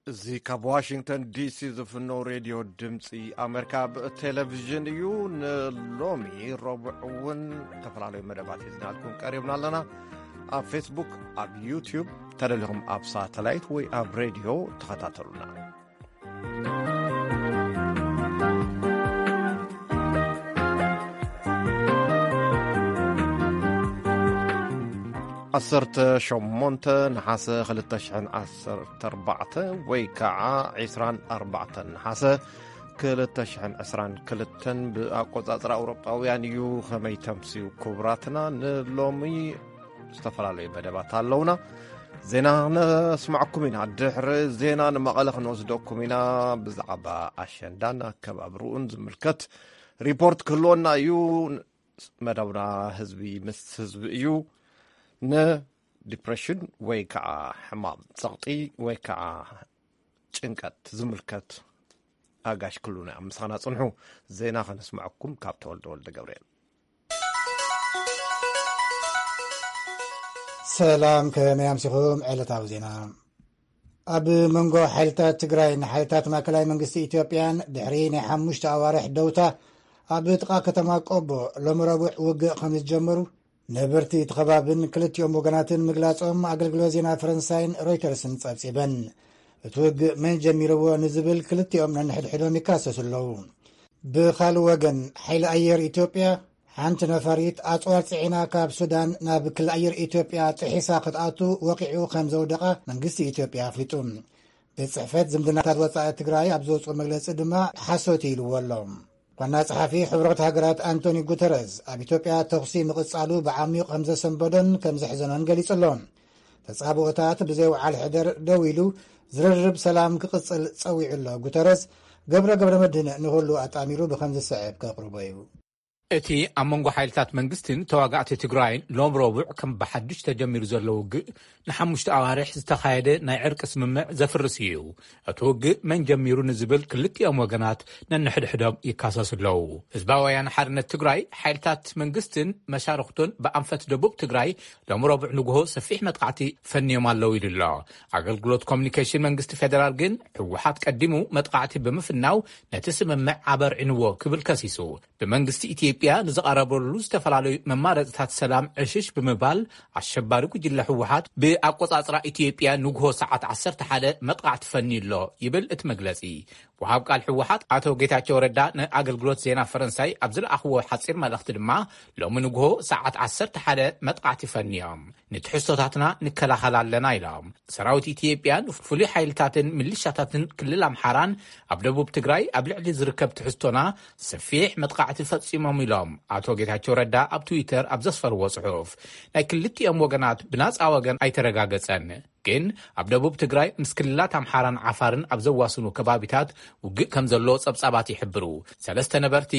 እዚ ካብ ዋሽንግተን ዲሲ ዝፍኖ ሬድዮ ድምፂ ኣሜሪካ ብቴሌቪዥን እዩ። ንሎሚ ረቡዕ እውን ዝተፈላለዩ መደባት ሒዝናልኩም ቀሪብና ኣለና። ኣብ ፌስቡክ፣ ኣብ ዩቲዩብ፣ ተደሊኹም ኣብ ሳተላይት ወይ ኣብ ሬድዮ ተኸታተሉና። ዓሰርተ ሸሞንተ ነሓሰ ክልተ ሽሕን ዓሰርተ ኣርባዕተ ወይ ከዓ ዕስራን ኣርባዕተን ነሓሰ ክልተ ሽሕን ዕስራን ክልተን ብኣቆጻጽራ ኣውሮጳውያን እዩ። ከመይ ተምስዩ ክቡራትና? ንሎሚ ዝተፈላለዩ መደባት ኣለውና። ዜና ነስማዕኩም ኢና። ድሕሪ ዜና ንመቐለ ክንወስደኩም ኢና። ብዛዕባ ኣሸንዳን ኣከባብርኡን ዝምልከት ሪፖርት ክህልወና እዩ። መደብና ህዝቢ ምስ ህዝቢ እዩ። ንዲፕሬሽን ወይ ከዓ ሕማም ጸቕጢ ወይ ከዓ ጭንቀት ዝምልከት ኣጋሽ ክሉና ምሳና ጽንሑ። ዜና ከነስምዐኩም ካብ ተወልደ ወልደ ገብርኤል። ሰላም፣ ከመይ ኣምሲኹም? ዕለታዊ ዜና። ኣብ መንጎ ሓይልታት ትግራይን ሓይልታት ማእከላይ መንግስቲ ኢትዮጵያን ድሕሪ ናይ ሓሙሽተ ኣዋርሕ ደውታ ኣብ ጥቓ ከተማ ቆቦ ሎሚ ረቡዕ ውግእ ከም ዝጀመሩ ነበርቲ እቲ ከባብን ክልቲኦም ወገናትን ምግላጾም ኣገልግሎት ዜና ፈረንሳይን ሮይተርስን ጸብጺበን። እቲ ውግእ መን ጀሚርዎ ንዝብል ክልቲኦም ነንሕድሕዶም ይካሰሱ ኣለዉ። ብኻልእ ወገን፣ ሓይሊ ኣየር ኢትዮጵያ ሓንቲ ነፋሪት ኣጽዋር ጽዒና ካብ ሱዳን ናብ ክሊ ኣየር ኢትዮጵያ ጥሒሳ ክትኣቱ ወቂዑ ከም ዘውደቓ መንግስቲ ኢትዮጵያ ኣፍሊጡ። ቤት ጽሕፈት ዝምድናታት ወጻኢ ትግራይ ኣብ ዘውፅኦ መግለጺ ድማ ሓሶት ኢልዎ ኣሎ። ዋና ጸሓፊ ሕቡራት ሃገራት ኣንቶኒ ጉተረዝ ኣብ ኢትዮጵያ ተኹሲ ምቕጻሉ ብዓሚቕ ከም ዘሰንበዶን ከም ዘሕዘኖን ገሊጹ ኣሎ። ተጻብኦታት ብዘይ ወዓል ሕደር ደው ኢሉ ዝርርብ ሰላም ክቕጽል ጸዊዑ ኣሎ። ጉተረዝ ገብረ ገብረ መድህን ንኹሉ ኣጣሚሩ ብኸም ዝስዕብ ከቕርቦ እዩ። እቲ ኣብ መንጎ ሓይልታት መንግስትን ተዋጋእቲ ትግራይን ሎም ረቡዕ ከም ብሓድሽ ተጀሚሩ ዘሎ ውግእ ንሓሙሽተ ኣዋርሕ ዝተኻየደ ናይ ዕርቂ ስምምዕ ዘፍርስ እዩ። እቲ ውግእ መን ጀሚሩ ንዝብል ክልቲኦም ወገናት ነንሕድሕዶም ይካሰሱ ኣለዉ። ህዝባዊ ወያነ ሓርነት ትግራይ፣ ሓይልታት መንግስትን መሻርኽቱን ብኣንፈት ደቡብ ትግራይ ሎም ረቡዕ ንግሆ ሰፊሕ መጥቃዕቲ ፈንዮም ኣለዉ ኢሉ ኣሎ። ኣገልግሎት ኮሚኒኬሽን መንግስቲ ፌደራል ግን፣ ህወሓት ቀዲሙ መጥቃዕቲ ብምፍናው ነቲ ስምምዕ ኣበርዒንዎ ክብል ከሲሱ። ብመንግስቲ ኢትዮጵያ ንዝቐረበሉ ዝተፈላለዩ መማረፅታት ሰላም ዕሽሽ ብምባል፣ ኣሸባሪ ጉጅለ ህወሓት ብኣቆፃፅራ ኢትዮጵያ ንግሆ ሰዓት ዓሰርተ ሓደ መጥቃዕቲ ፈንዩ ኣሎ ይብል እቲ መግለፂ። ወሃብ ቃል ህወሓት ኣቶ ጌታቸው ረዳ ንኣገልግሎት ዜና ፈረንሳይ ኣብ ዝለኣኽዎ ሓፂር መልእኽቲ ድማ፣ ሎሚ ንግሆ ሰዓት ዓሰርተ ሓደ መጥቃዕቲ ፈንዮም፣ ንትሕዝቶታትና ንከላኸል ኣለና ኢሎም። ሰራዊት ኢትዮጵያን ፍሉይ ሓይልታትን ሚሊሻታትን ክልል ኣምሓራን ኣብ ደቡብ ትግራይ ኣብ ልዕሊ ዝርከብ ትሕዝቶና ሰፊሕ መጥቃዕቲ ፈጺሞም ኢሎም ኣቶ ጌታቸው ረዳ ኣብ ትዊተር ኣብ ዘስፈርዎ ጽሑፍ። ናይ ክልቲኦም ወገናት ብናጻ ወገን ኣይተረጋገጸን። ግን ኣብ ደቡብ ትግራይ ምስ ክልላት ኣምሓራን ዓፋርን ኣብ ዘዋስኑ ከባቢታት ውግእ ከም ዘሎ ጸብጻባት ይሕብሩ። ሰለስተ ነበርቲ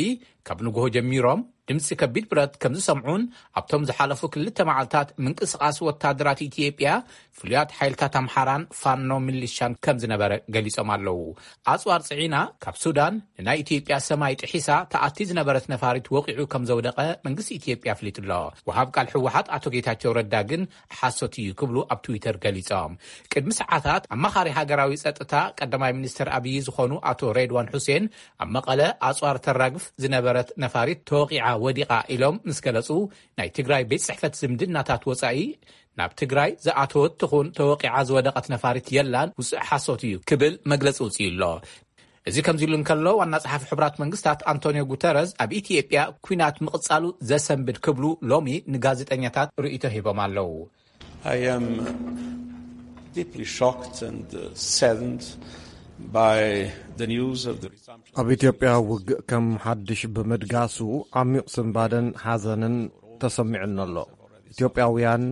ካብ ንግሆ ጀሚሮም ድምፂ ከቢድ ብረት ከም ዝሰምዑን ኣብቶም ዝሓለፉ ክልተ መዓልታት ምንቅስቓስ ወታደራት ኢትዮጵያ ፍሉያት ሓይልታት ኣምሓራን ፋኖ ሚሊሻን ከም ዝነበረ ገሊጾም ኣለዉ። ኣጽዋር ጽዒና ካብ ሱዳን ንናይ ኢትዮጵያ ሰማይ ጥሒሳ ተኣቲ ዝነበረት ነፋሪት ወቂዑ ከም ዘውደቐ መንግስቲ ኢትዮጵያ ኣፍሊጡ ኣሎ። ወሃብ ቃል ህወሓት ኣቶ ጌታቸው ረዳ ግን ሓሶት እዩ ክብሉ ኣብ ትዊተር ገሊጾም። ቅድሚ ሰዓታት ኣማኻሪ ሃገራዊ ጸጥታ ቀዳማይ ሚኒስትር ኣብይ ዝኾኑ ኣቶ ሬድዋን ሑሴን ኣብ መቐለ ኣጽዋር ተራግፍ ዝነበረት ነፋሪት ተወቂዓ ወዲቓ ኢሎም ምስ ገለጹ፣ ናይ ትግራይ ቤት ጽሕፈት ዝምድናታት ወጻኢ ናብ ትግራይ ዝኣተወት ትኹን ተወቂዓ ዝወደቐት ነፋሪት የላን፣ ውጽእ ሓሶት እዩ ክብል መግለጺ ውጽኡ ኣሎ። እዚ ከምዚ ኢሉ እንከሎ፣ ዋና ጸሓፊ ሕቡራት መንግስታት ኣንቶኒዮ ጉተረዝ ኣብ ኢትዮጵያ ኲናት ምቕጻሉ ዘሰንብድ ክብሉ ሎሚ ንጋዜጠኛታት ርእይቶ ሂቦም ኣለዉ። I am deeply shocked and uh, saddened by the news of the resumption. ኣብ ኢትዮጵያ ውግእ ከም ሓድሽ ብምድጋሱ ዓሚቕ ስንባደን ሓዘንን ተሰሚዑኒ ኣሎ። ኢትዮጵያውያን፣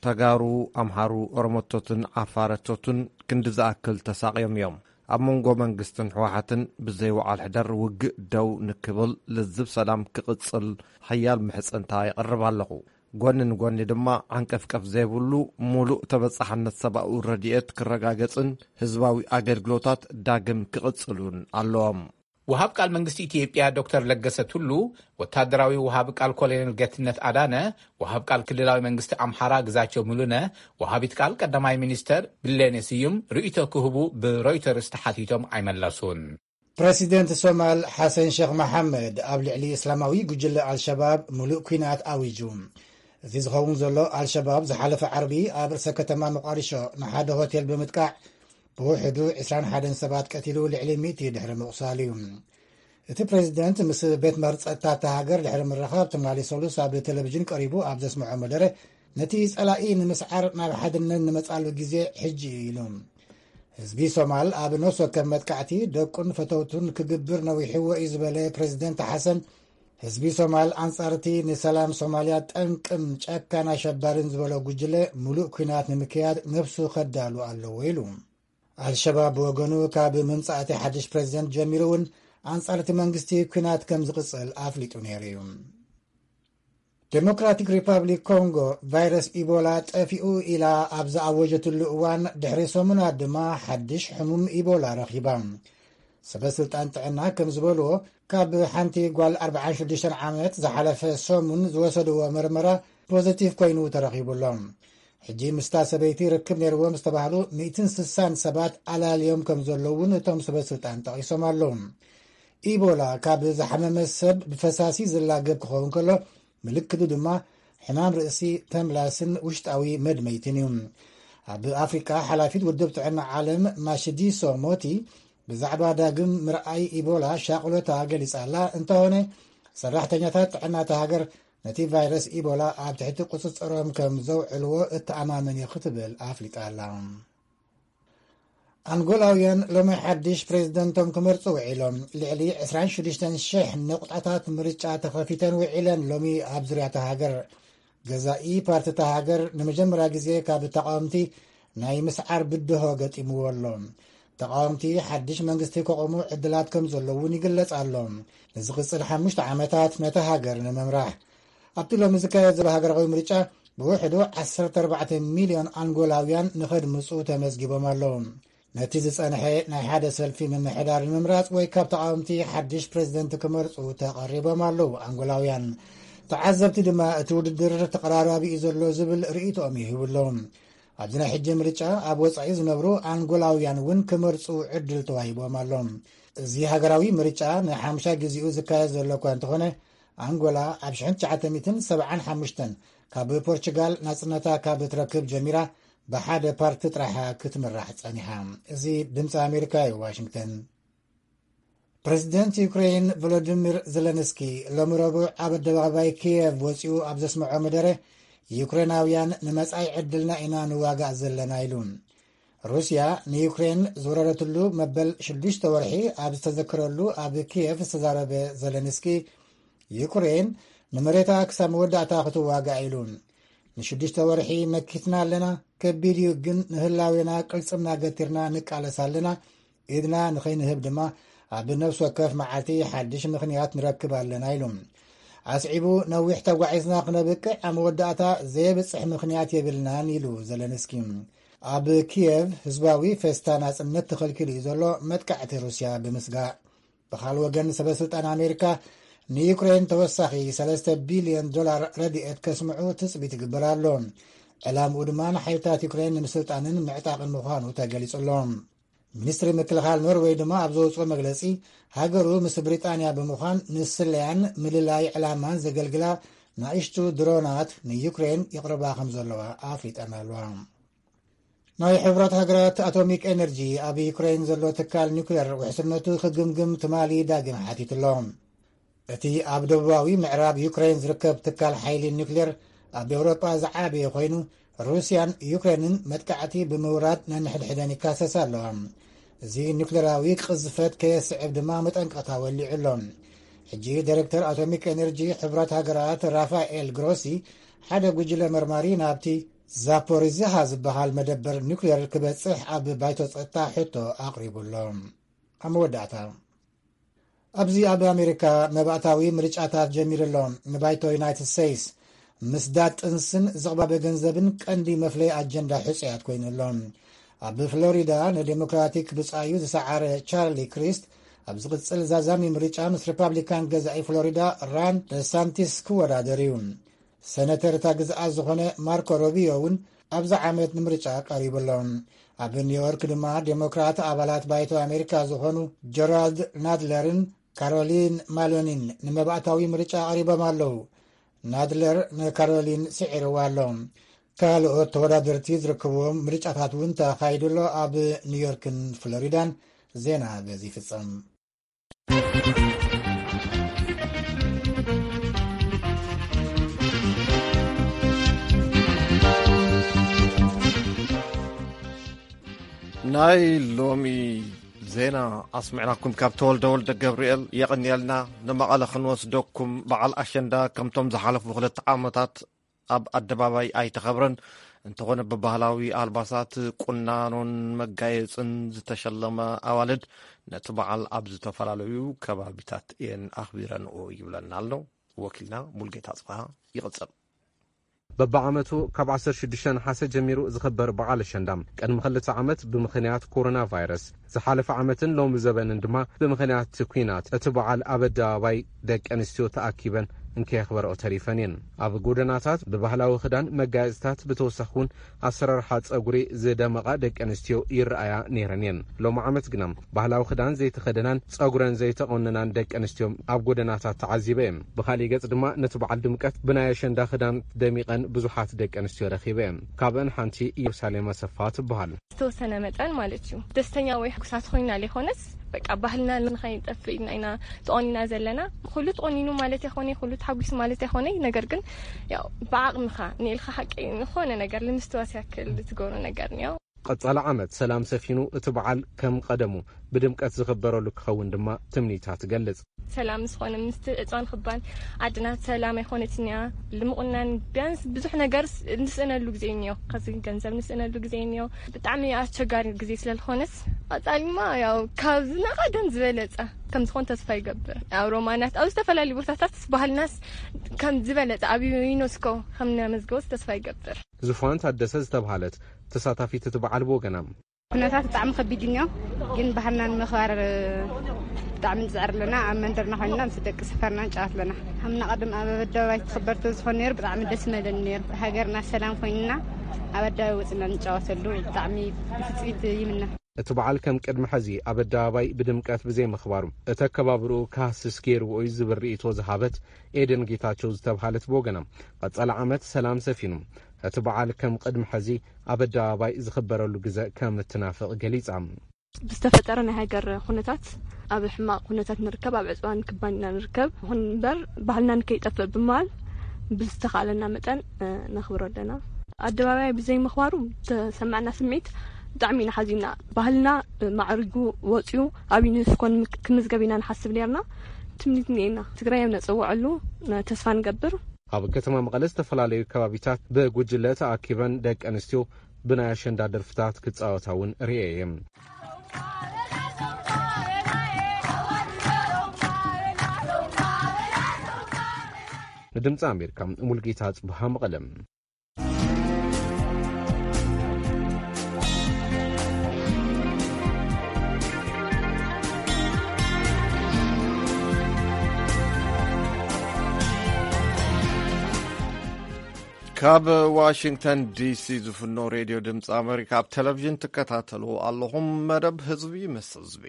ተጋሩ፣ ኣምሓሩ፣ ኦሮሞቶትን ዓፋረቶትን ክንዲ ዝኣክል ተሳቕዮም እዮም። ኣብ መንጎ መንግስትን ህወሓትን ብዘይ ወዓል ሕደር ውግእ ደው ንክብል፣ ልዝብ ሰላም ክቕጽል ሓያል ምሕጽንታ የቕርብ ኣለኹ። ጎኒ ንጎኒ ድማ ዓንቀፍቀፍ ዘይብሉ ሙሉእ ተበጻሕነት ሰብኣዊ ረድኤት ክረጋገጽን ህዝባዊ ኣገልግሎታት ዳግም ክቕጽሉን ኣለዎም። ወሃብ ቃል መንግስቲ ኢትዮጵያ ዶክተር ለገሰ ቱሉ፣ ወታደራዊ ወሃብ ቃል ኮሎኔል ጌትነት ኣዳነ፣ ወሃብ ቃል ክልላዊ መንግስቲ ኣምሓራ ግዛቸው ሙሉነ፣ ወሃቢት ቃል ቀዳማይ ሚኒስተር ብሌኔ ስዩም ርእይቶ ክህቡ ብሮይተርስ ተሓቲቶም ኣይመለሱን። ፕረሲደንት ሶማል ሓሰን ሸኽ መሓመድ ኣብ ልዕሊ እስላማዊ ጉጅለ ኣልሸባብ ሙሉእ ኲናት ኣዊጁ። እዚ ዝኸውን ዘሎ ኣልሸባብ ዝሓለፈ ዓርቢ ኣብ ርእሰ ከተማ ሞቃዲሾ ንሓደ ሆቴል ብምጥቃዕ ብውሕዱ ዕስራን ሓደን ሰባት ቀቲሉ፣ ልዕሊ ሚእቲ ድሕሪ ምቑሳል እዩ። እቲ ፕሬዚደንት ምስ ቤት ምኽሪ ጸጥታ እታ ሃገር ድሕሪ ምርኻብ ትማሊ ሰሉስ ኣብ ቴሌቪዥን ቀሪቡ ኣብ ዘስምዖ መደረ፣ ነቲ ጸላኢ ንምስዓር ናብ ሓድነት ንመጻሉ ግዜ ሕጂ እዩ ኢሉ። ህዝቢ ሶማል ኣብ ነፍሲ ወከፍ መጥቃዕቲ ደቁን ፈተውቱን ክግብር ነዊሕዎ እዩ ዝበለ ፕሬዚደንት ሓሰን፣ ህዝቢ ሶማል ኣንጻር እቲ ንሰላም ሶማልያ ጠንቅን ጨካን ኣሸባሪን ዝበሎ ጉጅለ ሙሉእ ኲናት ንምክያድ ነፍሱ ከዳሉ ኣለዎ ኢሉ። ኣልሸባብ ብወገኑ ካብ ምምጻእ እቲ ሓድሽ ፕሬዚደንት ጀሚሩ እውን ኣንጻር እቲ መንግስቲ ኲናት ከም ዝቕጽል ኣፍሊጡ ነይሩ እዩ። ዴሞክራቲክ ሪፓብሊክ ኮንጎ ቫይረስ ኢቦላ ጠፊኡ ኢላ ኣብ ዝኣወጀትሉ እዋን፣ ድሕሪ ሰሙናት ድማ ሓድሽ ሕሙም ኢቦላ ረኺባ። ሰበ ስልጣን ጥዕና ከም ዝበልዎ፣ ካብ ሓንቲ ጓል ኣርባዓን ሽዱሽተን ዓመት ዝሓለፈ ሰሙን ዝወሰድዎ መርመራ ፖዚቲቭ ኮይኑ ተረኺቡ ኣሎ። ሕጂ ምስታ ሰበይቲ ርክብ ነይርዎም ዝተባህሉ ሚእትን ስሳን ሰባት ኣላልዮም ከም ዘለዉ እውን እቶም ሰበ ስልጣን ጠቒሶም ኣለዉ። ኢቦላ ካብ ዝሓመመ ሰብ ብፈሳሲ ዝላገብ ክኸውን ከሎ፣ ምልክቱ ድማ ሕማም ርእሲ፣ ተምላስን ውሽጣዊ መድመይትን እዩ። ኣብ ኣፍሪቃ፣ ሓላፊት ውድብ ጥዕና ዓለም ማሽዲሶ ሞቲ ብዛዕባ ዳግም ምርኣይ ኢቦላ ሻቕሎታ ገሊጻ ኣላ። እንተኾነ፣ ሰራሕተኛታት ጥዕና እታ ሃገር ነቲ ቫይረስ ኢቦላ ኣብ ትሕቲ ቁጽጽሮም ከም ዘውዕልዎ እተኣማመን እዩ ክትብል ኣፍሊጣ ኣላ። ኣንጎላውያን ሎሚ ሓድሽ ፕሬዝደንቶም ክመርጹ ውዒሎም። ልዕሊ ዕስራን ሽዱሽተን ሽሕ ነቑጣታት ምርጫ ተኸፊተን ውዒለን ሎሚ ኣብ ዙርያ እታ ሃገር። ገዛኢ ፓርቲ እታ ሃገር ንመጀመርያ ግዜ ካብ ተቃወምቲ ናይ ምስዓር ብድሆ ገጢምዎ ኣሎ። ተቃወምቲ ሓድሽ መንግስቲ ከቆሙ ዕድላት ከም ዘሎ እውን ይግለጽ ኣሎ። ንዝቕጽል ሓሙሽተ ዓመታት ነታ ሃገር ንምምራሕ። ኣብቲ ሎሚ ዝካየድ ዘሎ ሃገራዊ ምርጫ ብውሕዱ ዓሰርተ ኣርባዕተ ሚልዮን ኣንጎላውያን ንኸድምጹ ተመዝጊቦም ኣለዉ። ነቲ ዝጸንሐ ናይ ሓደ ሰልፊ ምምሕዳር ንምምራጽ ወይ ካብ ተቃወምቲ ሓድሽ ፕሬዝደንት ክመርጹ ተቐሪቦም ኣለዉ ኣንጎላውያን። ተዓዘብቲ ድማ እቲ ውድድር ተቐራራቢ እዩ ዘሎ ዝብል ርእይቶኦም ይህቡ ኣለዉ። ኣብዚ ናይ ሕጂ ምርጫ ኣብ ወጻኢ ዝነብሩ ኣንጎላውያን እውን ክመርጹ ዕድል ተዋሂቦም ኣሎ። እዚ ሃገራዊ ምርጫ ንሓምሻይ ግዜኡ ዝካየድ ዘሎ እኳ እንተኾነ፣ ኣንጎላ ኣብ ሽሕን ትሽዓተ ሚእትን ሰብዓን ሓሙሽተን ካብ ፖርቹጋል ናጽነታ ካብ ትረክብ ጀሚራ ብሓደ ፓርቲ ጥራሓ ክትምራሕ ጸኒሓ። እዚ ድምፂ ኣሜሪካ እዩ፣ ዋሽንግተን። ፕሬዚደንት ዩክሬን ቮሎዲሚር ዘለንስኪ ሎሚ ረቡዕ ኣብ ኣደባባይ ኪየቭ ወፂኡ ኣብ ዘስምዖ መደረ፣ ዩክሬናውያን ንመጻኢ ዕድልና ኢና ንዋጋእ ዘለና ኢሉ። ሩስያ ንዩክሬን ዝወረረትሉ መበል ሽዱሽተ ወርሒ ኣብ ዝተዘከረሉ ኣብ ኪየቭ ዝተዛረበ ዘለንስኪ፣ ዩክሬን ንመሬታ ክሳብ መወዳእታ ክትዋጋእ ኢሉ። ንሽዱሽተ ወርሒ መኪትና ኣለና፣ ከቢድ እዩ፣ ግን ንህላዌና ቅልጽምና ገቲርና ንቃለስ ኣለና። ኢድና ንኸይንህብ ድማ ኣብ ነፍሲ ወከፍ መዓልቲ ሓድሽ ምኽንያት ንረክብ ኣለና ኢሉ። ኣስዒቡ፣ ነዊሕ ተጓዒዝና ክነብቅዕ ኣብ መወዳእታ ዘየብጽሕ ምኽንያት የብልናን ኢሉ ዘለንስኪ። ኣብ ኪየቭ ህዝባዊ ፌስታ ናጽነት ተኸልኪሉ እዩ ዘሎ፣ መጥቃዕቲ ሩስያ ብምስጋእ። ብኻልእ ወገን፣ ሰበ ስልጣን ኣሜሪካ ንዩክሬን ተወሳኺ ሰለስተ ቢልዮን ዶላር ረድኤት ከስምዑ ትጽቢት ይግበር ኣሎ። ዕላምኡ ድማ ንሓይልታት ዩክሬን ንምስልጣንን ምዕጣቕን ምዃኑ ተገሊጹ ኣሎ። ሚኒስትሪ ምክልኻል ኖርዌይ ድማ ኣብ ዘውፅኦ መግለፂ፣ ሃገሩ ምስ ብሪጣንያ ብምዃን ንስለያን ምልላይ ዕላማን ዘገልግላ ንኣሽቱ ድሮናት ንዩክሬን ይቕርባ ከም ዘለዋ ኣፍሊጠን ኣለዋ። ናይ ሕቡራት ሃገራት ኣቶሚክ ኤነርጂ ኣብ ዩክሬን ዘሎ ትካል ኒውክሌር ውሕስነቱ ክግምግም ትማሊ ዳግም ሓቲቱ ኣሎ። እቲ ኣብ ደቡባዊ ምዕራብ ዩክሬን ዝርከብ ትካል ሓይሊ ኒውክሌር ኣብ ኤውሮጳ ዝዓበየ ኮይኑ፣ ሩስያን ዩክሬንን መጥቃዕቲ ብምውራድ ነንሕድሕደን ይካሰሳ ኣለዋ። እዚ ኒውክሌራዊ ቅዝፈት ከየስዕብ ድማ መጠንቀቕታ ወሊዑ ኣሎ። ሕጂ ዳይሬክተር ኣቶሚክ ኤነርጂ ሕቡራት ሃገራት ራፋኤል ግሮሲ ሓደ ጉጅለ መርማሪ ናብቲ ዛፖሪዝሃ ዝበሃል መደበር ኒውክሌር ክበጽሕ ኣብ ባይቶ ጸጥታ ሕቶ ኣቕሪቡ ኣሎ። ኣብ መወዳእታ፣ ኣብዚ ኣብ ኣሜሪካ መባእታዊ ምርጫታት ጀሚሩ ኣሎ። ንባይቶ ዩናይትድ ስቴትስ ምስዳድ ጥንስን ዝቕባበ ገንዘብን ቀንዲ መፍለይ ኣጀንዳ ሕጹያት ኮይኑ ኣሎ። ኣብ ፍሎሪዳ ንዴሞክራቲክ ብጻዩ ዝሰዓረ ቻርሊ ክሪስት ኣብ ዝቕጽል ዛዛሚ ምርጫ ምስ ሪፓብሊካን ገዛኢ ፍሎሪዳ ራን ደሳንቲስ ክወዳደር እዩ። ሰነተር እታ ግዝኣት ዝኾነ ማርኮ ሮቢዮ እውን ኣብዚ ዓመት ንምርጫ ቀሪቡ ኣሎ። ኣብ ኒውዮርክ ድማ ዴሞክራት ኣባላት ባይቶ ኣሜሪካ ዝኾኑ ጀራልድ ናድለርን ካሮሊን ማሎኒን ንመባእታዊ ምርጫ ቀሪቦም ኣለዉ። ናድለር ንካሮሊን ስዒርዋ ኣሎ። ካልኦት ተወዳደርቲ ዝርከብዎም ምርጫታት እውን ተኻይዱ ኣሎ። ኣብ ኒውዮርክን ፍሎሪዳን ዜና በዚ ይፍጸም። ናይ ሎሚ ዜና ኣስሚዕናኩም ካብ ተወልደ ወልደ ገብርኤል የቐንየልና። ንመቐለ ክንወስደኩም፣ በዓል ኣሸንዳ ከምቶም ዝሓለፉ ክልተ ዓመታት ኣብ ኣደባባይ ኣይተኸብረን። እንተኾነ ብባህላዊ ኣልባሳት፣ ቁናኖን መጋየፅን ዝተሸለመ ኣዋልድ ነቲ በዓል ኣብ ዝተፈላለዩ ከባቢታት እየን ኣኽቢረንኦ ይብለና ኣሎ ወኪልና ሙልጌታ ጽብሃ። ይቕጽል። በብዓመቱ ካብ ዓሰርተ ሽዱሽተ ነሓሰ ጀሚሩ ዝኽበር በዓል ኣሸንዳ፣ ቅድሚ ክልተ ዓመት ብምኽንያት ኮሮና ቫይረስ፣ ዝሓለፈ ዓመትን ሎሚ ዘበንን ድማ ብምኽንያት እቲ ኲናት፣ እቲ በዓል ኣብ ኣደባባይ ደቂ ኣንስትዮ ተኣኪበን እንከየኽበረኦ ተሪፈን እየን። ኣብ ጎደናታት ብባህላዊ ክዳን መጋየፅታት፣ ብተወሳኺ እውን ኣሰራርሓ ፀጉሪ ዝደመቓ ደቂ ኣንስትዮ ይረኣያ ነይረን እየን። ሎሚ ዓመት ግና ባህላዊ ክዳን ዘይተኸደናን ጸጉረን ዘይተቖነናን ደቂ ኣንስትዮ ኣብ ጎደናታት ተዓዚበ እየ። ብኻሊእ ገጽ ድማ ነቲ በዓል ድምቀት ብናይ ኣሸንዳ ክዳን ደሚቐን ብዙሓት ደቂ ኣንስትዮ ረኺበ እየ። ካብአን ሓንቲ ኢየሩሳሌም ኣሰፋ ትበሃል። ዝተወሰነ መጠን ማለት እዩ፣ ደስተኛ ወይ ሕጉሳት ኮይና ዘይኮነስ፣ በቃ ባህልና ንኸይጠፍእ ኢልና ኢና ተቖኒና ዘለና። ኩሉ ተቖኒኑ ማለት ኣይኮነ፣ ኩሉ ተሓጒሱ ማለት ኣይኮነ። ነገር ግን ያው ብዓቕምኻ ንኢልካ ሓቂ ዝኾነ ነገር ንምስትዋስ ያክል ዝገብሮ ነገር እኒኦ። ቀጻሊ ዓመት ሰላም ሰፊኑ እቲ በዓል ከም ቀደሙ ብድምቀት ዝኽበረሉ ክኸውን ድማ ትምኒታ ትገልጽ። ሰላም ዝኾነ ምስቲ እፅዋን ክባን ዓድና ሰላም ኣይኮነትን እያ። ልምቑናን ቢያንስ ብዙሕ ነገር ስ-፣ ንስእነሉ ግዜ እኒኦ። ከዚ ገንዘብ ንስእነሉ ግዜ እኒኦ። ብጣዕሚ ኣስቸጋሪ ግዜ ስለ ዝኾነስ፣ ቀጻሊማ ያው ካብ ዝናቐደም ዝበለጸ ከም ዝኾን ተስፋ ይገብር። ኣብ ሮማናት፣ ኣብ ዝተፈላለዩ ቦታታት ባህልናስ ከም ዝበለጸ ኣብ ዩኔስኮ ከም ነመዝገቦስ ተስፋ ይገብር። ዙፋን ታደሰ ዝተብሃለት ተሳታፊት እቲ በዓል ብወገና፣ ኩነታት ብጣዕሚ ከቢድ እዩ እኒኦ፣ ግን ባህልና ንምኽባር ብጣዕሚ ንጽዕር ኣለና። ኣብ መንደርና ኮይንና ምስ ደቂ ሰፈርና ንጫወት ኣለና። ከም ናቐድም ኣብ ኣደባባይ ትኽበር ተዝኾን ነይሩ ብጣዕሚ ደስ ምበለኒ ነይሩ። ሃገርና ሰላም ኮይንና ኣብ ኣደባባይ ወፅና ንጫወተሉ ብጣዕሚ ብትፅቢት ይምነ። እቲ በዓል ከም ቅድሚ ሕዚ ኣብ ኣደባባይ ብድምቀት ብዘይምኽባሩ፣ እቲ ኣከባብርኡ ክሃስስ ገይርዎ እዩ ዝብል ርእይቶ ዝሃበት ኤደን ጌታቸው ዝተብሃለት ብወገና፣ ቀጻሊ ዓመት ሰላም ሰፊኑ፣ እቲ በዓል ከም ቅድሚ ሕዚ ኣብ ኣደባባይ ዝኽበረሉ ግዘ ከም እትናፍቕ ገሊጻ። ብዝተፈጠረ ናይ ሃገር ኩነታት ኣብ ሕማቕ ኩነታት ንርከብ፣ ኣብ ዕፅዋን ክባን ኢና ንርከብ። ይኹን እምበር ባህልና ንከይጠፍእ ብምባል ብዝተኻእለና መጠን፣ እ፣ ነኽብሮ ኣለና። ኣደባባይ ብዘይምኽባሩ ተሰማዕና ስምዒት ብጣዕሚ ኢና ሓዚንና። ባህልና፣ እ፣ ማዕሪጉ ወፂኡ ኣብ ዩኔስኮ ንምክ-፣ ክምዝገብ ኢና ንሓስብ ነርና። ትምኒት እኒኤና። ትግራይ ኣብ ነፀውዐሉ፣ እ፣ ተስፋ ንገብር። ኣብ ከተማ መቐለ ዝተፈላለዩ ከባቢታት ብጉጅለ ተኣኪበን ደቂ ኣንስትዮ ብናይ ኣሸንዳ ደርፍታት ክጻወታ እውን ርእየ እየ። ንድምፂ ኣሜሪካ፣ ሙልጌታ ጽብሃ፣ መቐለ። ካብ ዋሽንግተን ዲሲ ዝፍኖ ሬድዮ ድምፂ ኣሜሪካ ኣብ ቴሌቪዥን ትከታተሉ ኣለኹም። መደብ ህዝቢ ምስ ህዝቢ።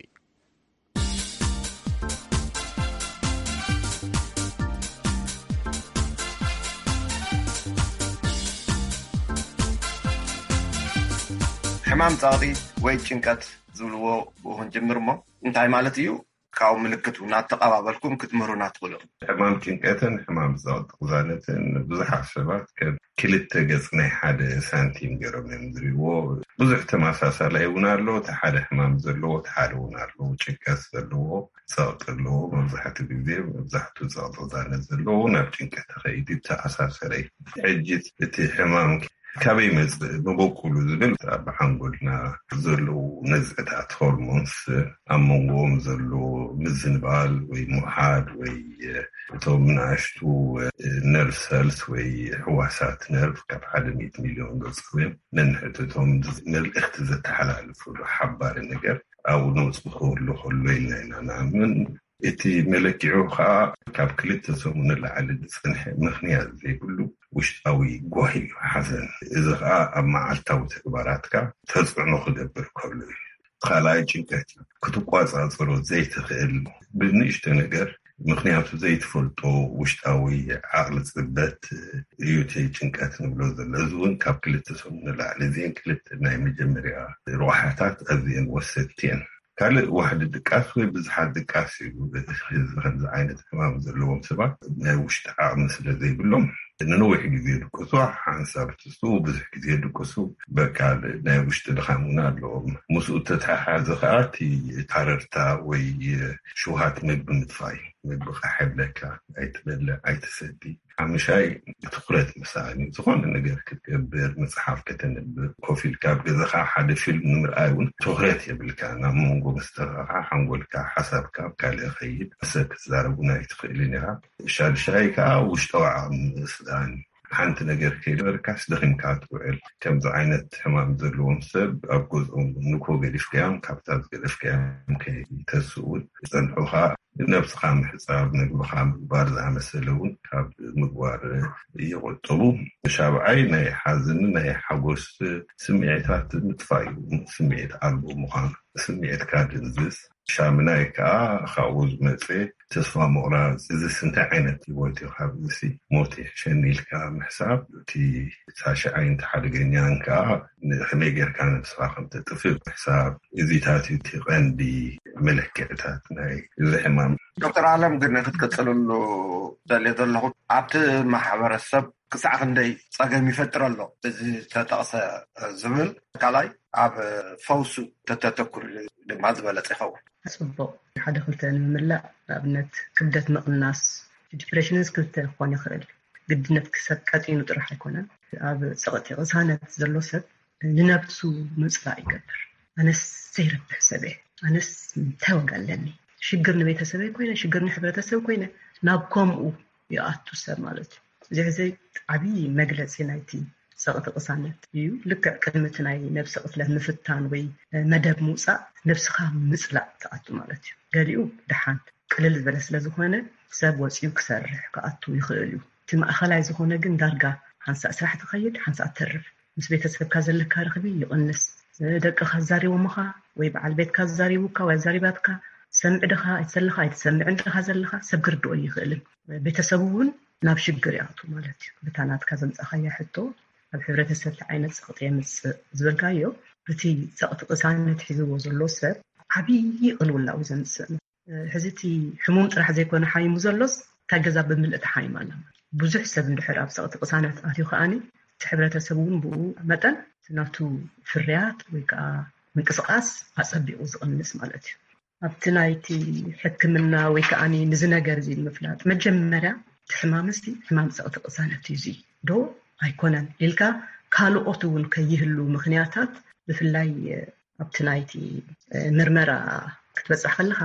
ሕማም ጸቕጢ ወይ ጭንቀት ዝብልዎ ብኡ ክንጅምር እሞ፣ እንታይ ማለት እዩ? ካብኡ ምልክቱ እናተቐባበልኩም ክትምህሩና ትኽእሉ ኢኹም። ሕማም ጭንቀትን ሕማም ጸቕጢ ቅዛነትን ብዙሓት ሰባት ከም ክልተ ገጽ ናይ ሓደ ሳንቲም ገይሮም እዮም ዝርእይዎ። ብዙሕ ተመሳሳላይ እውን ኣሎ። እቲ ሓደ ሕማም ዘለዎ፣ እቲ ሓደ እውን ኣሎ። ጭንቀት ዘለዎ፣ ጸቕጢ ኣለዎ። መብዛሕትኡ ግዜ፣ መብዛሕትኡ ጸቕጢ ቅዛነት ዘለዎ ናብ ጭንቀት ተኸይዱ ይተኣሳሰር እዩ። ሕጂ እቲ ሕማም ካበይ መጽእ መበቁሉ ዝብል ኣብ ሓንጎልና ዘለዉ ነዝዕታት ሆርሞንስ ኣብ መንጎኦም ዘሎ ምዝንባል ወይ ምውሓድ ወይ እቶም ንኣሽቱ ነርቭ ሰልስ ወይ ሕዋሳት ነርቭ ካብ ሓደ ሚእቲ ሚልዮን ገጽ እዮም ነንሕድሕዶም መልእኽቲ ዘተሓላልፉሉ ሓባሪ ነገር ኣብኡ ነውጽእ ክህሉ ከሎ ኢልና ኢና ንኣምን። እቲ መለኪዑ ከዓ ካብ ክልተ ሰሙን ንላዕሊ ዝጸንሐ ምኽንያት ዘይብሉ ውሽጣዊ ጓሂ እዩ፣ ሓዘን። እዚ ከዓ ኣብ መዓልታዊ ተግባራትካ ተጽዕኖ ክገብር ከሎ እዩ። ካልኣይ ጭንቀት እዩ። ክትቋጻጸሮ ዘይትኽእል ብንእሽቶ ነገር፣ ምኽንያቱ ዘይትፈልጦ ውሽጣዊ ዓቕሊ ጽበት እዩ እቲ ጭንቀት ንብሎ ዘሎ። እዚ እውን ካብ ክልተ ሰሙን ንላዕሊ። እዚአን ክልተ ናይ መጀመርያ ረብሓታት ኣዝየን ወሰድቲ እየን። ካልእ ዋሕዲ ድቃስ ወይ ብዝሓት ድቃስ እዩ። እዚ ከምዚ ዓይነት ሕማም ዘለዎም ሰባት ናይ ውሽጢ ዓቕሚ ስለ ዘይብሎም ንነዊሕ ግዜ ይድቅሱ። ሓንሳብ ትስኡ ብዙሕ ግዜ ይድቅሱ። በቃ ናይ ውሽጢ ድኻም እውን ኣለዎም። ምስኡ ተተሓሓዘ ከዓ እቲ ታረርታ ወይ ሽውሃት ምግቢ ምጥፋእ እዩ። ምግቢ ቃሕ ይብለካ፣ ኣይትበልዕ፣ ኣይትሰቲ። ሓሙሻይ ትኹረት ምሳኣን እዩ። ዝኾነ ነገር ክትገብር፣ መጽሓፍ ከተንብብ፣ ኮፍ ኢልካ ኣብ ገዛኻ ሓደ ፊልም ንምርኣይ እውን ትኹረት የብልካ። ናብ መንጎ መስተኻኻ ሓንጎልካ፣ ሓሳብካ ኣብ ካልእ ይኸይድ። ሰብ ክትዛረብ እውን ኣይትኽእልን ኢኻ። ሻድሻይ ከዓ ውሽጣዊ ዓቕሚ ምስኣን እዩ። ሓንቲ ነገር ከይነበረካስ ደኺምካ ትውዕል። ከምዚ ዓይነት ሕማም ዘለዎም ሰብ ኣብ ገዝኦም ንኮ ገዲፍካዮም፣ ካብታ ዝገደፍካዮም ከይተስኡ እውን ዝጸንሑኻ ነብስኻ ምሕጻብ፣ ምግብኻ ምግባር ዝኣመሰለ እውን ካብ ምግባር ይቆጥቡ። ሻብዓይ ናይ ሓዘን ናይ ሓጎስ ስምዒታት ምጥፋእ እዩ። ስምዒት ኣልቦ ምዃን፣ ስምዒትካ ድንዝዝ። ሻምናይ ከዓ ካብኡ ዝመፀ ተስፋ ምቑራፅ። እዚስ እንታይ ዓይነት ህይወት እዩ? ካብ እዚሲ ሞት ይሕሸኒ ኢልካ ምሕሳብ። እቲ ታሽዓይን እቲ ሓደገኛን ከዓ ንከመይ ጌርካ ነብስኻ ከም ተጥፍእ ምሕሳብ። እዚታት እዩ እቲ ቀንዲ መለክዕታት ናይ እዚ ሕማም። ዶክተር ኣለም፣ ግን ክትቅፅልሉ ደልየ ዘለኹ፣ ኣብቲ ማሕበረሰብ ክሳዕ ክንደይ ጸገም ይፈጥር ኣሎ እዚ ተጠቕሰ ዝብል፣ ካልኣይ ኣብ ፈውሱ ተተተኩር ድማ ዝበለጸ ይኸውን። ጽቡቕ። ሓደ ክልተ ንምምላእ፣ ንኣብነት ክብደት ምቕናስ፣ ዲፕሬሽንስ ክልተ ክኾን ይኽእል። ግድነት ክሰብ ቀጢኑ ጥራሕ ኣይኮነን። ኣብ ጸቕጢ ቅሳነት ዘሎ ሰብ ንነብሱ ምጽላእ ይገብር። ኣነስ ዘይረብሕ ሰብ እየ፣ ኣነስ እንታይ ዋጋ ኣለኒ? ሽግር ንቤተሰበይ ኮይነ፣ ሽግር ንሕብረተሰብ ኮይነ፣ ናብ ከምኡ ይኣቱ ሰብ ማለት እዩ። እዚ ሕዚ ዓብዪ መግለጺ ናይቲ ጸቕጢ ቅሳነት እዩ። ልክዕ ቅድሚ እቲ ናይ ነብሲ ቅትለት ምፍታን ወይ መደብ ምውጻእ ነብስኻ ምጽላእ ትኣቱ ማለት እዩ። ገሊኡ ደሓን ቅልል ዝበለ ስለ ዝኾነ ሰብ ወጺኡ ክሰርሕ ክኣቱ ይኽእል እዩ። እቲ ማእኸላይ ዝኾነ ግን ዳርጋ ሓንሳእ ስራሕ ትኸይድ፣ ሓንሳእ ትተርፍ። ምስ ቤተሰብካ ዘለካ ርኽቢ ይቕንስ። ደቅኻ ኣዛሪቦምኻ ወይ በዓል ቤትካ ኣዛሪቡካ ወይ ኣዛሪባትካ፣ ትሰምዕ ድኻ ኣይትሰልኻ ኣይትሰምዕን ድኻ ዘለኻ ሰብ ክርድኦ ይኽእልን። ቤተሰቡ እውን ናብ ሽግር ይኣቱ ማለት እዩ። በታ ናትካ ዘምጻኻያ ሕቶ ኣብ ሕብረተሰብ እንታይ ዓይነት ጸቕጢ የምጽእ ዝበልካዮ፣ እቲ ጸቕጢ ቅሳነት ሒዝዎ ዘሎ ሰብ ዓብዪ ቅልውላው ዘምጽእ። ሕዚ እቲ ሕሙም ጥራሕ ዘይኮነ ሓይሙ ዘሎስ እታ ገዛ ብምልእ ተሓይማ ኣላ። ብዙሕ ሰብ እንድሕር ኣብ ጸቕጢ ቅሳነት ኣትዩ ከኣኒ እቲ ሕብረተሰብ እውን ብኡ መጠን ናቱ ፍርያት ወይ ከዓ ምንቅስቃስ ኣጸቢቑ ዝቕንስ ማለት እዩ። ኣብቲ ናይቲ ሕክምና ወይ ከኣኒ ንዚ ነገር እዚ ንምፍላጥ መጀመርያ እቲ ሕማም እዚ ሕማም ጸቕጢ ቅሳነት እዩ እዚ ዶ ኣይኮነን ኢልካ ካልኦት እውን ከይህሉ ምኽንያታት ብፍላይ ኣብቲ ናይቲ ምርመራ ክትበጽሕ ከለኻ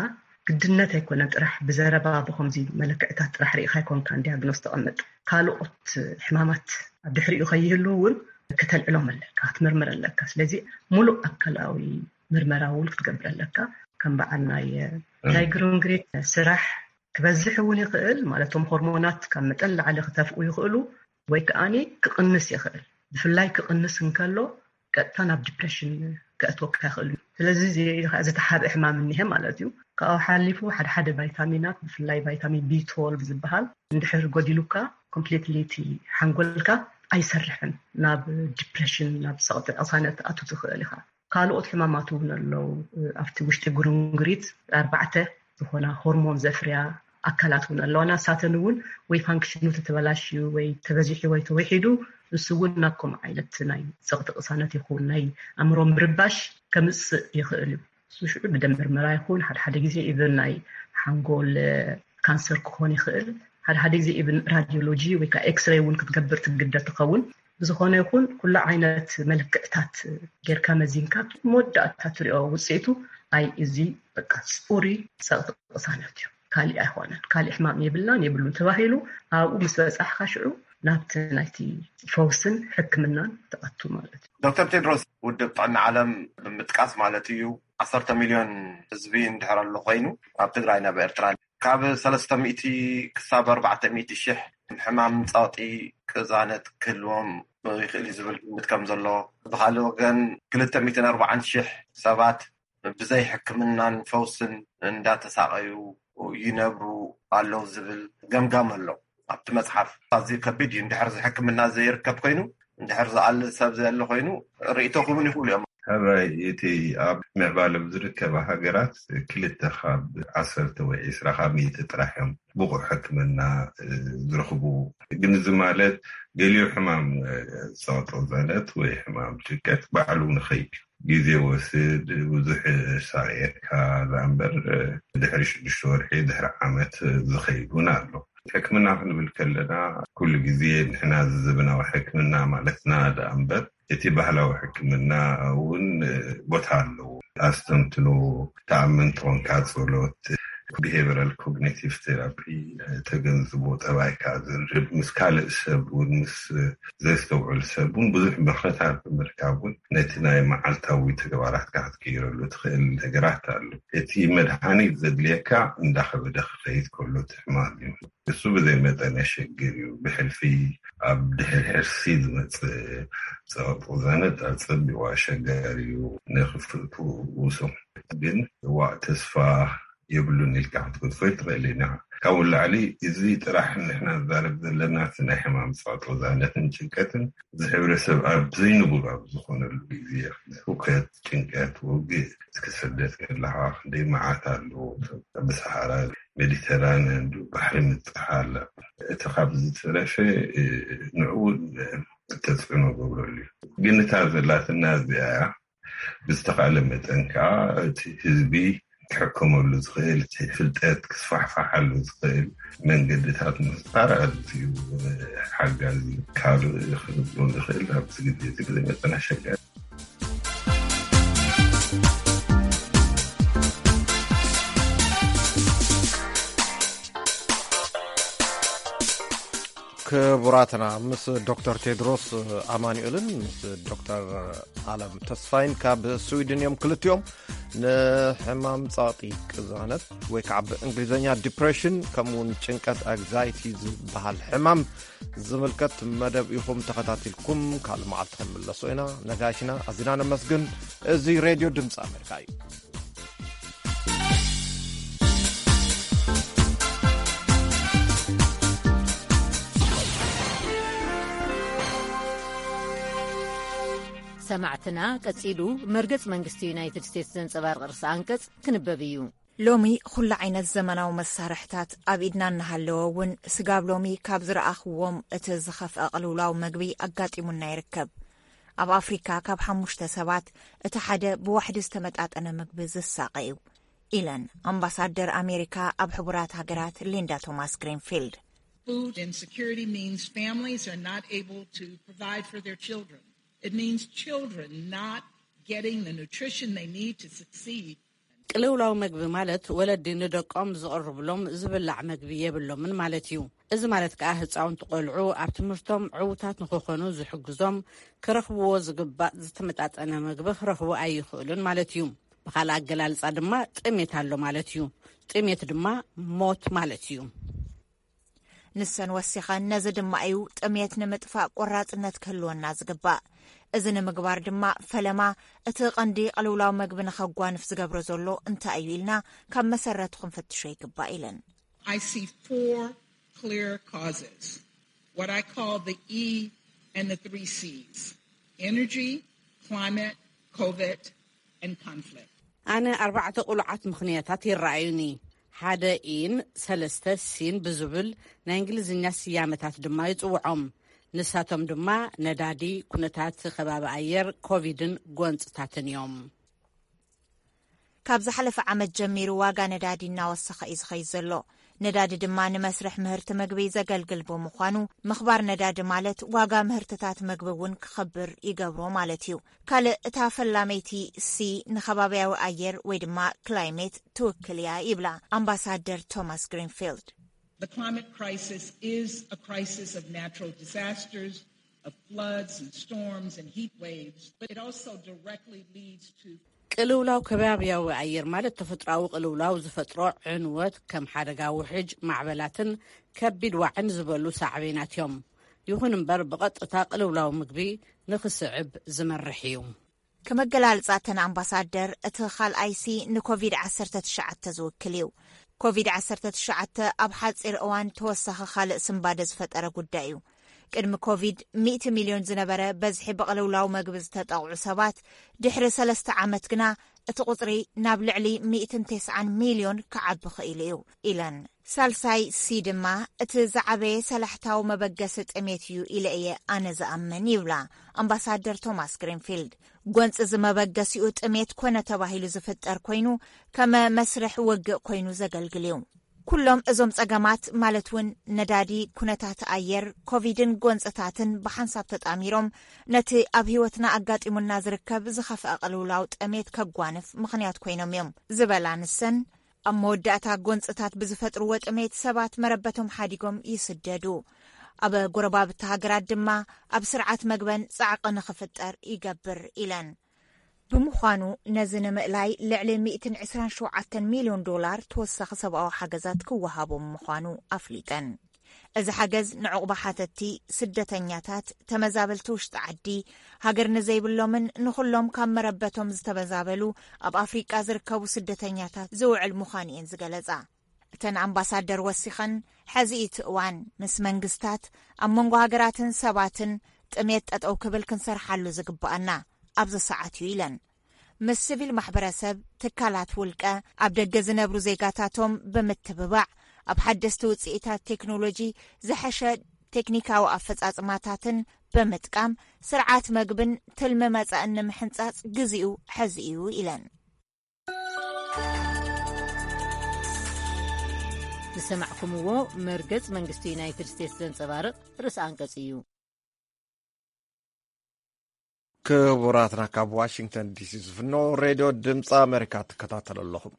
ግድነት ኣይኮነን ጥራሕ ብዘረባ ብኸምዚ መለክዕታት ጥራሕ ርኢኻ ኣይኮንካን ዲያግኖስ ተቐምጥ። ካልኦት ሕማማት ኣብ ድሕሪኡ ከይህሉ እውን ከተልዕሎም ኣለካ፣ ክትምርምር ኣለካ። ስለዚ ሙሉእ ኣካላዊ ምርመራ እውን ክትገብር ኣለካ። ከም በዓል ናይ ዳይግሩንግሪት ስራሕ ክበዝሕ እውን ይኽእል፣ ማለት እቶም ሆርሞናት ካብ መጠን ላዕሊ ክተፍኡ ይኽእሉ ወይ ከኣኒ ክቕንስ ይኽእል። ብፍላይ ክቕንስ እንከሎ ቀጥታ ናብ ዲፕሬሽን ከእትወካ ይኽእል እዩ። ስለዚ እዚ ከዓ ዝተሓብአ ሕማም እኒሀ ማለት እዩ። ካብኡ ሓሊፉ ሓደ ሓደ ቫይታሚናት ብፍላይ ቫይታሚን ቢ ትወልቭ ዝበሃል እንድሕር ጎዲሉካ ኮምፕሊትሊ እቲ ሓንጎልካ ኣይሰርሕን፣ ናብ ዲፕሬሽን ናብ ጸቕጢ ቅሳነት ኣቱ ትኽእል ኢኻ። ካልኦት ሕማማት እውን ኣለዉ። ኣብቲ ውሽጢ ጉርንጉሪት ኣርባዕተ ዝኾና ሆርሞን ዘፍርያ ኣካላት እውን ኣለዋ። ናሳተን እውን ወይ ፋንክሽኑ ተተበላሽዩ ወይ ተበዚሑ ወይ ተወሒዱ ንሱ እውን ናብ ከምኡ ዓይነት ናይ ጸቕጢ ቅሳነት ይኹን ናይ ኣእምሮ ምርባሽ ከምጽእ ይኽእል እዩ። እሱ ሽዑ ብደም ምርመራ ይኹን ሓደ ሓደ ግዜ ኢቨን ናይ ሓንጎል ካንሰር ክኾን ይኽእል። ሓደ ሓደ ግዜ ኢቨን ራዲዮሎጂ ወይ ከዓ ኤክስሬይ እውን ክትገብር ትግደድ ትኸውን። ዝኾነ ይኹን ኩሉ ዓይነት መለክዕታት ጌርካ መዚንካ መወዳእታ ትሪኦ ውፅኢቱ ኣይ እዚ በቃ ፅሩይ ፀቕጢ ቅሳነት እዩ። ካሊእ ኣይኮነን። ካሊእ ሕማም የብላን የብሉን ተባሂሉ ኣብኡ ምስ በፃሕካ ሽዑ ናብቲ ናይቲ ፈውስን ሕክምናን ትኣቱ ማለት እዩ። ዶክተር ቴድሮስ፣ ውድብ ጥዕና ዓለም ብምጥቃስ ማለት እዩ፣ ዓሰርተ ሚልዮን ህዝቢ እንድሕር ኣሎ ኮይኑ፣ ኣብ ትግራይ ናብ ኤርትራ ካብ ሰለስተ ሚእቲ ክሳብ ኣርባዕተ ሚእቲ ሽሕ ሕማም ጸቕጢ ቅዛነት ክህልዎም ይኽእል እዩ ዝብል ግምት ከም ዘሎ፣ ብኻልእ ወገን ክልተ ሚእትን ኣርባዓን ሽሕ ሰባት ብዘይ ሕክምናን ፈውስን እንዳተሳቐዩ ይነብሩ ኣለዉ ዝብል ገምጋም ኣሎ ኣብቲ መጽሓፍ። ኣዝዩ ከቢድ እዩ። እንድሕር ሕክምና ዘይርከብ ኮይኑ፣ እንድሕር ዝኣሊ ሰብ ዘየለ ኮይኑ፣ ርእይቶኹም እውን ይኽእሉ እዮም። ሕራይ፣ እቲ ኣብ ምዕባለ ኣብ ዝርከባ ሃገራት ክልተ ካብ ዓሰርተ ወይ ዕስራ ካብ ሚእቲ ጥራሕ እዮም ብቑዕ ሕክምና፣ እ፣ ዝረኽቡ። ግን እዚ ማለት ገሊኡ ሕማም፣ እ፣ ጸቕጢ ቅዛነት ወይ ሕማም ጭንቀት ባዕሉ ንኸይድ ግዜ ወስድ፣ ብዙሕ ሳቕየካ ደኣ እምበር፣ እ፣ ድሕሪ ሽዱሽተ ወርሒ፣ ድሕሪ ዓመት፣ እ፣ ዝኸይድ እውን ኣሎ። ሕክምና ክንብል ከለና ኩሉ ግዜ ንሕና እዚ ዘበናዊ ሕክምና ማለትና ደኣ እምበር፣ እቲ ባህላዊ ሕክምና እውን፣ እ፣ ቦታ ኣለዎ። ኣስተንትኖ፣ ተኣምን ተኾንካ ጸሎት፣ ቢሄቨራል ኮግኒቲቭ ቴራፒ፣ እ፣ ተገንዝቦ፣ ጠባይካ ዘንብብ፣ ምስ ካልእ ሰብ እውን፣ ምስ ዘስተውዕል ሰብ እውን ብዙሕ ምኽርታት ብምርካብ እውን ነቲ ናይ መዓልታዊ ተግባራትካ ክትቅይረሉ ትኽእል ነገራት ኣሎ። እቲ መድሃኒት ዘድልየካ እንዳኸበደ ክኸይድ ከሎ እቲ ሕማም እዩ። እሱ ብዘይ መጠን የሸግር እዩ። ብሕልፊ ኣብ ድሕሪ ሕርሲ ዝመጽእ ጸቕጢ ቅዛነት ኣጸቢቑ ኣሸጋሪ እዩ። ንኽፍትውሱ ግን ዋእ ተስፋ የብሉን ኢልካ ክትገድፎ ይትኽእል ኢና። ካብኡ ንላዕሊ እዚ ጥራሕ ንሕና ንዛረብ ዘለና እቲ ናይ ሕማም ጸቕጢ ቅዛነትን ጭንቀትን እዚ ሕብረተሰብ ኣብ ዘይንቡር ኣብ ዝኾነሉ ግዜ፣ ሁከት፣ ጭንቀት፣ ውግእ፣ እስኪ ስደት ከለኻ ክንደይ መዓት ኣለዎ። ኣብ ሰሃራ ሜዲተራንያን ባሕሪ ምብጻሕ ኣላ። እቲ ካብ ዝተረፈ፣ እ፣ ንዕኡ እውን ተጽዕኖ ገብረሉ እዩ። ግን እታ ዘላትና እዚኣ እያ። ብዝተኻእለ መጠን ከዓ እቲ ህዝቢ ክሕከመሉ ዝኽእል፣ እቲ ፍልጠት ክስፋሕፋሓሉ ዝኽእል መንገድታት ምፍጣር ኣዝዩ ሓጋዚ እዩ። ካልእ ክንብሎ ንኽእል ኣብዚ ግዜ እዚ ብዘይ መጠን ኣሸጋሪ። ክቡራትና፣ ምስ ዶክተር ቴድሮስ ኣማኑኤልን ምስ ዶክተር ኣለም ተስፋይን ካብ ስዊድን እዮም። ክልቲኦም ንሕማም ጸቕጢ ቅዛነት ወይ ከዓ ብእንግሊዝኛ ዲፕሬሽን ከምኡውን ጭንቀት ኣግዛይቲ ዝበሃል ሕማም ዝምልከት መደብ ኢኹም ተኸታቲልኩም። ካልእ መዓልቲ ክንምለሶ ኢና። ነጋሽና ኣዚና ነመስግን። እዚ ሬድዮ ድምፂ ኣሜሪካ እዩ። ሰማዕትና፣ ቀጺሉ መርገጽ መንግስቲ ዩናይትድ ስቴትስ ዘንጸባርቕ ርእሰ ኣንቀጽ ክንበብ እዩ። ሎሚ ኩሉ ዓይነት ዘመናዊ መሳርሕታት ኣብ ኢድና እናሃለወ እውን፣ ስጋብ ሎሚ ካብ ዝረኣኽዎም እቲ ዝኸፍአ ቅልውላው መግቢ ኣጋጢሙና ይርከብ። ኣብ ኣፍሪካ ካብ ሓሙሽተ ሰባት እቲ ሓደ ብዋሕዲ ዝተመጣጠነ ምግቢ ዝሳቐ እዩ፣ ኢለን ኣምባሳደር ኣሜሪካ ኣብ ሕቡራት ሃገራት ሊንዳ ቶማስ ግሪንፊልድ። Food insecurity means families are not able to provide for their children. It means children not getting the nutrition they need to succeed. ቅልውላው መግቢ ማለት ወለዲ ንደቆም ዝቕርብሎም ዝብላዕ መግቢ የብሎምን ማለት እዩ። እዚ ማለት ከኣ ህጻውንቲ ቆልዑ ኣብ ትምህርቶም ዕዉታት ንኽኾኑ ዝሕግዞም፣ ክረኽብዎ ዝግባእ ዝተመጣጠነ መግቢ ክረኽቡ ኣይኽእሉን ማለት እዩ። ብኻልእ ኣገላልጻ ድማ ጥሜት ኣሎ ማለት እዩ። ጥሜት ድማ ሞት ማለት እዩ። ንሰን ወሲኸን፣ ነዚ ድማ እዩ ጥሜት ንምጥፋእ ቆራጽነት ክህልወና ዝግባእ። እዚ ንምግባር ድማ ፈለማ እቲ ቀንዲ ቅልውላው መግቢ ንኸጓንፍ ዝገብሮ ዘሎ እንታይ እዩ ኢልና ካብ መሰረቱ ክንፍትሾ ይግባእ ኢለን። I see four clear causes, what I call the E and the three C's: energy, climate, COVID, and conflict. ኣነ ኣርባዕተ ቅሉዓት ምኽንያታት ይረኣዩኒ። ሓደ ኢን ሰለስተ ሲን ብዝብል ናይ እንግሊዝኛ ስያመታት ድማ ይጽውዖም። ንሳቶም ድማ ነዳዲ፣ ኩነታት ከባቢ ኣየር፣ ኮቪድን ጎንጽታትን እዮም። ካብ ዝሓለፈ ዓመት ጀሚሩ ዋጋ ነዳዲ እናወሰኸ እዩ ዝኸይድ ዘሎ። ነዳዲ ድማ ንመስርሕ ምህርቲ ምግቢ ዘገልግል ብምዃኑ፣ ምኽባር ነዳዲ ማለት ዋጋ ምህርትታት ምግቢ እውን ክኸብር ይገብሮ ማለት እዩ። ካልእ እታ ፈላመይቲ ሲ ንኸባብያዊ ኣየር ወይ ድማ ክላይሜት ትውክል እያ ይብላ ኣምባሳደር ቶማስ ግሪንፊልድ። The climate crisis is a crisis of natural disasters, of floods and storms and heat waves, but it also directly leads to ቅልውላው ከባብያዊ ኣየር ማለት ተፈጥሮኣዊ ቅልውላው ዝፈጥሮ ዕንወት ከም ሓደጋ ውሕጅ፣ ማዕበላትን ከቢድ ዋዕን ዝበሉ ሳዕቤናት እዮም። ይኹን እምበር ብቐጥታ ቅልውላው ምግቢ ንኽስዕብ ዝመርሕ እዩ። ከመገላልጻ እተን ኣምባሳደር እቲ ካልኣይ ሲ ንኮቪድ ዓሰርተ ትሽዓተ ዝውክል እዩ። ኮቪድ ዓሰርተ ትሽዓተ ኣብ ሓጺር እዋን ተወሳኺ ካልእ ስንባደ ዝፈጠረ ጉዳይ እዩ። ቅድሚ ኮቪድ ሚእቲ ሚልዮን ዝነበረ በዝሒ ብቕልውላው መግቢ ዝተጠቕዑ ሰባት ድሕሪ ሰለስተ ዓመት ግና እቲ ቁጽሪ ናብ ልዕሊ ሚእትን ተስዓን ሚልዮን ክዓቢ ክኢሉ እዩ ኢለን። ሳልሳይ ሲ ድማ እቲ ዝዓበየ ሰላሕታዊ መበገሲ ጥሜት እዩ ኢለ እየ ኣነ ዝኣምን ይብላ ኣምባሳደር ቶማስ ግሪንፊልድ። ጎንፂ ዝመበገሲኡ ጥሜት ኮነ ተባሂሉ ዝፍጠር ኮይኑ ከመ መስርሕ ውግእ ኮይኑ ዘገልግል እዩ። ኩሎም እዞም ጸገማት ማለት እውን ነዳዲ፣ ኩነታት ኣየር፣ ኮቪድን ጎንፅታትን ብሓንሳብ ተጣሚሮም ነቲ ኣብ ህይወትና ኣጋጢሙና ዝርከብ ዝኸፍአ ቅልውላው ጥሜት ከጓንፍ ምኽንያት ኮይኖም እዮም ዝበላ ንሰን፣ ኣብ መወዳእታ ጎንፅታት ብዝፈጥርዎ ጥሜት ሰባት መረበቶም ሓዲጎም ይስደዱ። ኣብ ጎረባብቲ ሃገራት ድማ ኣብ ስርዓት መግበን ጻዕቂ ንኽፍጠር ይገብር ኢለን። ብምዃኑ ነዚ ንምእላይ ልዕሊ ሚእትን ዕስራን ሸውዓተን ሚልዮን ዶላር ተወሳኺ ሰብኣዊ ሓገዛት ክወሃቦም ምዃኑ ኣፍሊጠን። እዚ ሓገዝ ንዕቑባ ሓተቲ፣ ስደተኛታት፣ ተመዛበልቲ ውሽጢ ዓዲ፣ ሃገር ንዘይብሎምን ንኹሎም ካብ መረበቶም ዝተመዛበሉ ኣብ ኣፍሪቃ ዝርከቡ ስደተኛታት ዝውዕል ምዃኑ እየን ዝገለጻ። እተን ኣምባሳደር ወሲኸን፣ ሕዚ እቲ እዋን ምስ መንግስታት፣ ኣብ መንጎ ሃገራትን ሰባትን ጥሜት ጠጠው ክብል ክንሰርሓሉ ዝግብኣና ኣብዚ ሰዓት እዩ ኢለን። ምስ ሲቪል ማሕበረሰብ፣ ትካላት ውልቀ፣ ኣብ ደገ ዝነብሩ ዜጋታቶም ብምትብባዕ ኣብ ሓደስቲ ውፅኢታት ቴክኖሎጂ ዝሐሸ ቴክኒካዊ ኣፈፃፅማታትን ብምጥቃም ስርዓት መግብን ትልሚ መፃእን ንምሕንፃፅ ግዚኡ ሕዚ እዩ ኢለን። ዝሰማዕኩምዎ መርገጽ መንግስቲ ዩናይትድ ስቴትስ ዘንጸባርቕ ርእሲ ኣንቀጽ እዩ። ክቡራትና ካብ ዋሽንግተን ዲሲ ዝፍኖ ሬድዮ ድምፂ ኣሜሪካ ትከታተሉ ኣለኹም።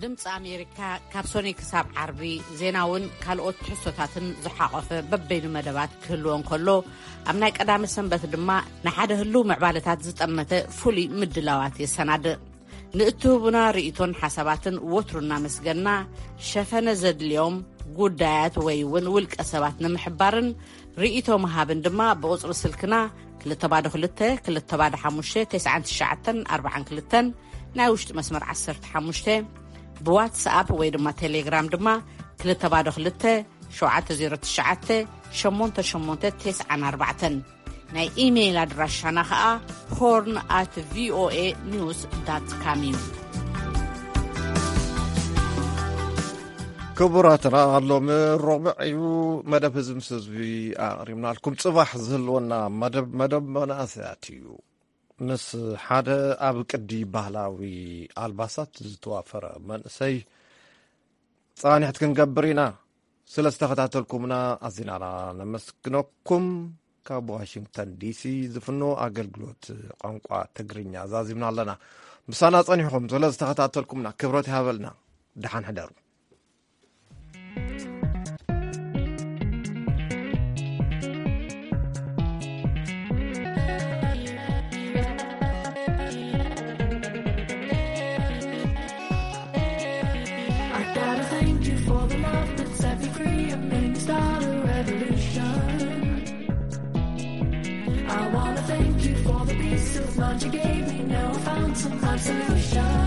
ድምፂ ኣሜሪካ ካብ ሶኒ ክሳብ ዓርቢ ዜናውን ካልኦት ትሕዝቶታትን ዝሓቖፈ በበይኑ መደባት ክህልዎ እንከሎ፣ ኣብ ናይ ቀዳመ ሰንበት ድማ ንሓደ ህልው ምዕባለታት ዝጠመተ ፍሉይ ምድላዋት የሰናድእ። ንእትህቡና ርእይቶን ሓሳባትን ወትሩ እናመስገና፣ ሸፈነ ዘድልዮም ጉዳያት ወይ እውን ውልቀ ሰባት ንምሕባርን ርእይቶ ምሃብን ድማ ብቁጽሪ ስልክና ክልተ ባዶ ክልተ፣ ክልተ ባዶ ሓሙሽተ፣ ተስዓን ትሽዓተን ኣርባዓን ክልተን፣ ናይ ውሽጢ መስመር ዓሰርተ ሓሙሽተ፣ ብዋትስኣፕ ወይ ድማ ቴሌግራም ድማ ክልተ ባዶ ክልተ፣ ሸውዓተ ዜሮ ትሽዓተ፣ ሸሞንተ ሸሞንተ ተስዓን ኣርባዕተን። ናይ ኢሜይል ኣድራሻና ኸኣ ሆርን ኣት ቪኦኤ ኒውስ ዳት ካም እዩ። ክቡራትና፣ ሎሚ ረቡዕ እዩ። መደብ ህዝቢ ምስ ህዝቢ ኣቕሪብናልኩም። ጽባሕ ዝህልወና መደብ፣ መደብ መናእሰያት እዩ። ምስ ሓደ ኣብ ቅዲ ባህላዊ ኣልባሳት ዝተዋፈረ መንእሰይ ጻኒሕት ክንገብር ኢና። ስለ ዝተኸታተልኩምና ኣዚና ነመስግነኩም። ካብ ዋሽንግተን ዲሲ ዝፍኖ ኣገልግሎት ቋንቋ ትግርኛ ዛዚምና ኣለና። ምሳና ጸኒሕኩም ስለ ዝተኸታተልኩምና ክብረት ይሃበልና። ደሓን ሕደሩ። I gotta thank you for the love that set me free and made me start a revolution. I wanna thank you for the peace of mind you gave me. Now I found some kind of solution.